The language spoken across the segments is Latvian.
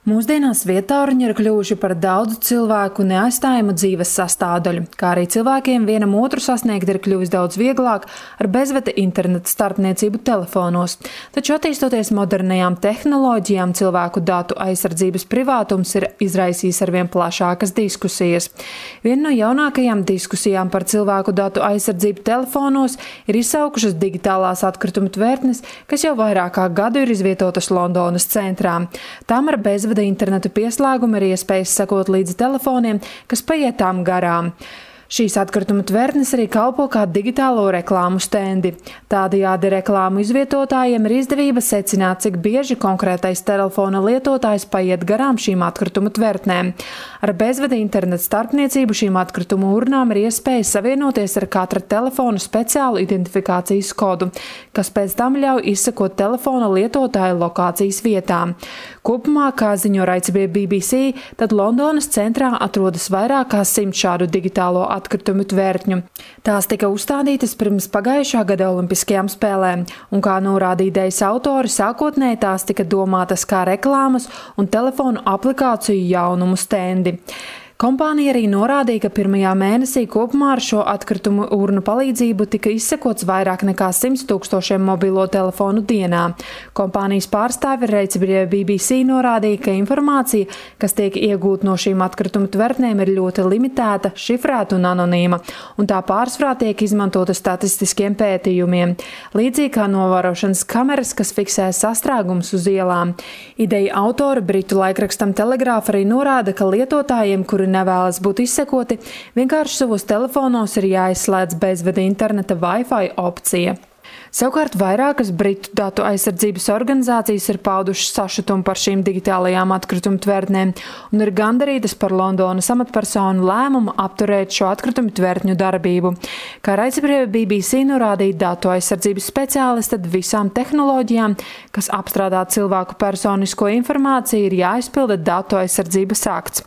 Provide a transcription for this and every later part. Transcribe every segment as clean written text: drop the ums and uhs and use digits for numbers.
Mūsdienās vietāruņi ir kļuvuši par daudzu cilvēku neaizstājamu dzīves sastāvdaļu, kā arī cilvēkiem vienam otru sasniegt ir kļuvis daudz vieglāk ar bezvada interneta starpniecību telefonos. Taču attīstoties modernajām tehnoloģijām, cilvēku datu aizsardzības privātums ir izraisījis arvien plašākas diskusijas. Viena no jaunākajām diskusijām par cilvēku datu aizsardzību telefonos ir izsaukušas digitālās atkritumu tvertnes, kas jau vairāk kā gadu ir izvietotas Londonas centrā. Tām ar bezvada interneta pieslēgumu ir iespējas sekot līdzi telefoniem, kas paiet tām garām. Šīs atkrituma tvertnes arī kalpo kā digitālo reklāmu stendi. Tādējādi reklāmu izvietotājiem ir izdevība secināt, cik bieži konkrētais telefona lietotājs paiet garām šīm atkrituma tvertnēm. Ar bezvada interneta starpniecību šīm atkritumu urnām ir iespēja savienoties ar katra telefona speciālu identifikācijas kodu, kas pēc tam ļauj izsekot telefona lietotāja lokācijas vietām. Kopumā, kā ziņo raidsabiedrība BBC, tad Londonas centrā atrodas vairāk kā 100 šādu digitālo atkritumu tvertņu. Tās tika uzstādītas pirms pagājušā gada Olimpiskajām spēlēm, un kā norāda idejas autori, sākotnēji tās tika domātas kā reklāmas un telefonu aplikāciju jaunumu stendi. Kompānija arī norādīja, ka pirmajā mēnesī kopumā ar šo atkritumu urnu palīdzību tika izsekots vairāk nekā 100 000 mobilo telefonu dienā. Kompānijas pārstāve raidsabiedrībai BBC norādīja, ka informācija, kas tiek iegūta no šīm atkritumu tvertnēm, ir ļoti limitēta, šifrēta un anonīma, un tā pārsvarā tiek izmantota statistiskiem pētījumiem, līdzīgi kā novērošanas kameras, kas fiksē sastrēgumus uz ielām. Ideja autori britu laikrakstam Telegraph arī norāda, ka lietotājiem, kuri nevēlas būt izsekoti, vienkārši savos telefonos ir jāizslēdz bezvada interneta Wi-Fi opcija. Savukārt vairākas britu datu aizsardzības organizācijas ir paudušas sašutumu par šīm digitālajām atkritumu tvertnēm un ir gandarītas par Londonas amatpersonu lēmumu apturēt šo atkritumu tvertņu darbību. Kā raidsabiedrība BBC norādīja datu aizsardzības speciālisti, tad visām tehnoloģijām, kas apstrādā cilvēku personisko informāciju, ir jāizpilda datu aizsardzības akts.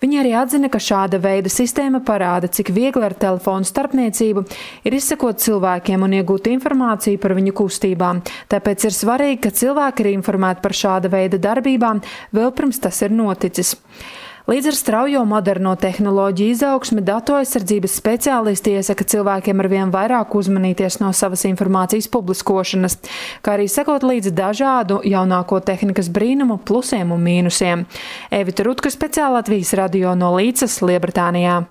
Viņi arī atzina, ka šāda veida sistēma parāda, cik viegli ar telefonu starpniecību ir izsekot cilvēkiem un iegūt informāciju par viņu kustībām. Tāpēc ir svarīgi, ka cilvēki ir informēti par šāda veida darbībām vēl pirms tas ir noticis. Līdz ar straujo moderno tehnoloģiju izaugsmi datu aizsardzības speciālisti iesaka cilvēkiem arvien vairāk uzmanīties no savas informācijas publiskošanas, kā arī sekot līdzi dažādu jaunāko tehnikas brīnumu plusiem un mīnusiem. Evita Rutka, speciāli Latvijas radio no Līdzas, Lielbritānijā.